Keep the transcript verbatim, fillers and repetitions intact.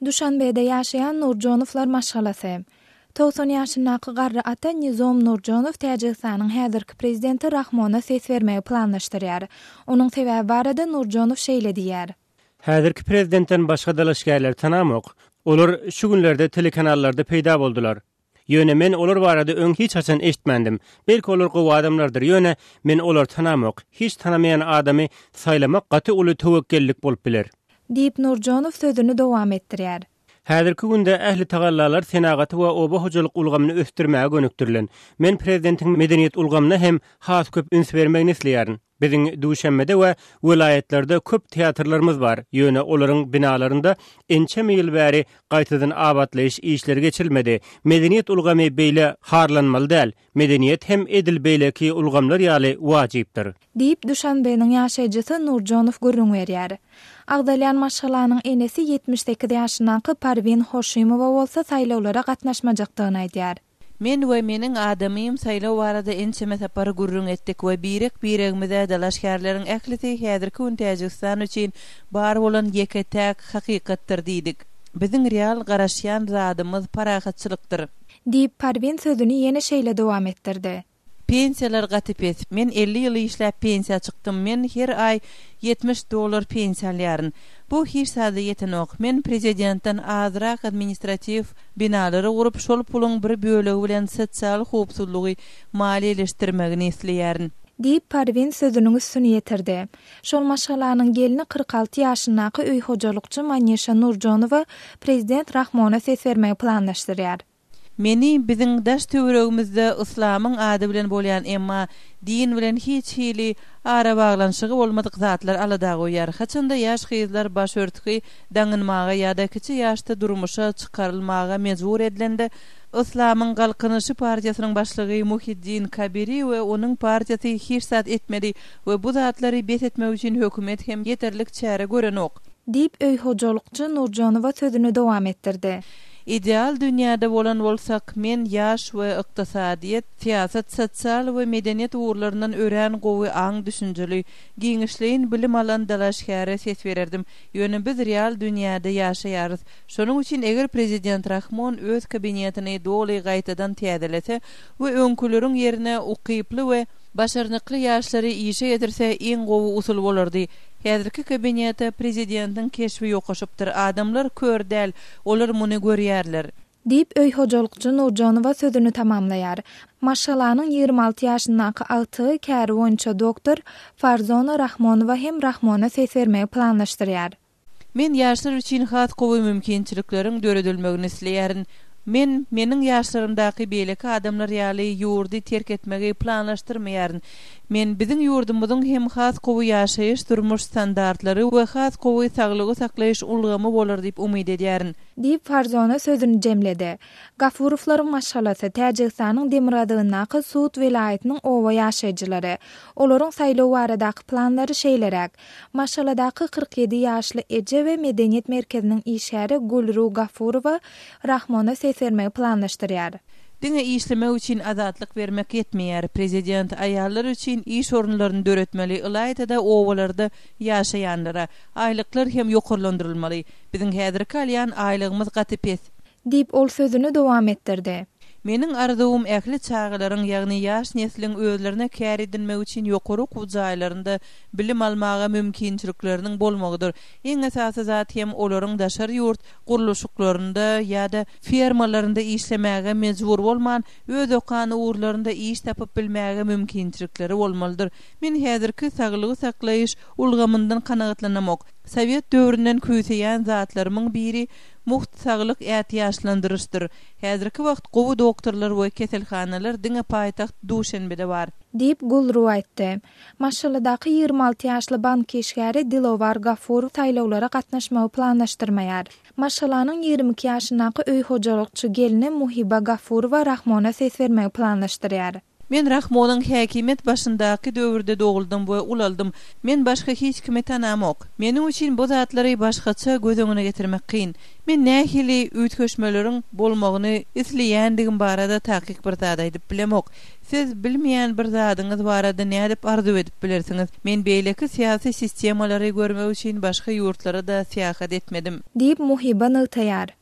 Duşanbede ýaşaýan Nurjonowlar maşgalasy. Togsan ýaşyndaky garry ata Nizom Nurjonow Täjigistanyň häzirki prezidenti Rahmona ses bermegi planlaşdyrýar. Onuň sebäbi barada Nurjonow şeýle diýýär. Häzirki prezidentden başga dalaşgärleri tanamok. Olar şu günlerde telekanallarda peýda boldular. Ýöne men olar barada öň hiç haçan eşitmändim. Belki olar gowy adamlardyr. Ýöne men olary tanamok. Hiç tanamaýan adamy saýlamak gaty uly töwekgellik bolup biler. Diýip Nurjonow sözüni dowam etdirýär. Häzirki günde ähli tagallalar senagaty we oba hojalyk ulgamyny ösdürmäge gönükdirilen. Men prezidentiň medeniýet ulgamyna hem has köp üns bermegini isleýärin. Biziň Duşanbede we welaýatlarda köp teatrlarymyz bar. Ýöne olaryň binalarynda ençeme ýyl bäri gaýtadan abatlaýyş işleri geçirilmedi. Medeniýet ulgamy beýle harlanmaly däl. Medeniýet hem edil beýleki ulgamlar ýaly wajypdyr. Diýip Duşanbeniň ýaşaýjysy Nurjonow gürrüň berýär. Agzalýan maşgalanyň enesi ýetmiş sekiz ýaşyndaky Parwin Hoşimowa bolsa saýlawlara gatnaşmajakdygyny aýdýar. Men we meniň adamym saýlaw barada ençeme sapar gürrüň etdik we birek-biregimize dalaşgärleriň ählisi häzirki gün Täjigistan üçin bar bolan ýeke-täk hakykatdyr diýdik. Biziň real garaşýan zadymyz parahatçylykdyr. Diýip Parwin sözüni ýene şeýle dowam etdirdi. Pensiýalar gaty pes. Men elli ýyl işläp pensiýa çykdym. Men her aý ýetmiş dollar pensiýa alýaryn. Bu hiç zada ýetenok. Men prezidentden azrak administratiw binalary gurup, şol puluň bir bölegi bilen sosial howpsuzlygy maliýeleşdirmegini isleýärin. Diýip Parwin sözüniň üstüni ýetirdi. Şol maşgalanyň gelni kyrk alty ýaşyndaky öý hojalykçy Manişa Nurjonowa prezident Rahmona ses bermegi planlaşdyrýar. Meni biziň daş töweregimizde yslamyň ady bilen bolýan emma din bilen hiç hili arabaglanyşygy bolmadyk zatlar alada goýýar. Haçanda ýaş gyzlar başörtgi daňynmaga ýa-da kiçi ýaşda durmuşa çykarylmaga mejbur edilende Yslamyň Galkynyşy partiýasynyň başlygy Muhiddin Kabiri we onuň partiýasy hiç zat etmedi we bu zatlary bes etmek üçin hökümet hem ýeterlik çäre görenok. Diýip öý hojalykçy Nurjonowa sözüni dowam etdirdi. Ideal dünýäde bolan bolsak, men ýaş we ykdysadyýet, syýasat, sosial we medeniýet ugurlaryndan örän gowy aň düşünjeli, giňişleýin bilim alan dalaşgäre ses bererdim. Ýöne biz real dünýäde ýaşaýarys. Şonuň üçin eger prezident Rahmon öz kabinetini doly gaýtadan täzelese we öňküleriň ýerine ukyply we başarnykly ýaşlary işe getirse iň gowy usul bolardy. Häzirki kabinete prezidentiň keşbi ýokaşypdyr. Adamlar kör däl, olar muny görýärler. Diýip öý hojalykçy Nurjonowa sözüni tamamlaýar. Maşgalanyň ýigrimi alty ýaşyndaky agtygy käri boýunça doktor Farzona Rahmonowa hem Rahmona ses bermegi planlaşdyrýar. Men ýaşlar üçin has gowy mümkinçilikleriň döredilmegini isleýärin. Men meniň ýaşlarymdaky beýleki adamlar ýaly ýurdy terk etmegi planlaşdyrmaýaryn. Men biziň ýurdumyzyň hem has gowy ýaşaýyş durmuş standartlary we has gowy saglygy saklaýyş ulgamy bolar diýip umyt edýärin. Diýip Farzona sözüni jemledi. Gafurowlaryň maşgalasy Täjigistanyň demirgazygyndaky Sud welaýatynyň oba ýaşaýjylary. Olaryň saýlaw baradaky planlary şeýleräk. Maşgaladaky kyrk ýedi ýaşly eje we medeniýet merkeziniň işgäri Gulru Gafurowa Rahmona ses bermegi planlaşdyrýar. Diňe işlemek üçin azatlyk bermek ýetmeýär. Prezident aýallar üçin iş orunlaryny döretmeli, ylaýta-da obalarda ýaşaýanlara. Aýlyklar hem ýokarlandyrylmaly. Biziň häzirki alýan aýlygymyz gaty pes. Diýip ol sözüni dowam etdirdi. Meniň arzuwym ähli çagalaryň, ýagny ýaş nesliň özlerine kär edinmek üçin ýokary okuw jaýlarynda bilim almaga mümkinçilikleriniň bolmagydyr. Iň esasy zat hem olaryň daşary ýurt gurluşyklarynda ýa-da fermalarynda işlemäge mejbur bolman, öz okan ugurlarynda iş tapyp bilmäge mümkinçilikleri bolmalydyr. Men häzirki saglygy saklaýyş ulgamyndan kanagatlanamok. Sowet döwründen küýseýän zatlarymyň biri muht saglyk ätiýaçlandyryşdyr. Häzirki wagt gowy doktorlar we keselhanalar diňe paýtagt Duşenbede bar. Diýip Gulru aýtdy. Maşgaladaky ýigrimi alty ýaşly bank işgäri Dilowar Gafurow saýlawlara gatnaşmagy planlaşdyrmaýar. Maşgalanyň ýigrimi iki ýaşyndaky öý hojalykçy gelni Muhiba Gafurowa Rahmona ses bermegi planlaşdyrýar. Men Rahmonyň häkimiýet başyndaky döwürde doguldym we ulaldym. Men başga hiç kimi tanamok. Meniň üçin bu zatlary başgaça göz öňüne getirmek kyn. Men nähili üýtgeşmeleriň bolmagyny isleýändigim barada takyk bir zat aýdyp bilemok. Siz bilmeýän bir zadyňyz barada nädip arzuw edip bilersiňiz? Men beýleki syýasy sistemalary görmek üçin başga ýurtlara-da syýahat etmedim. Diýip, Muhiba nygtaýar.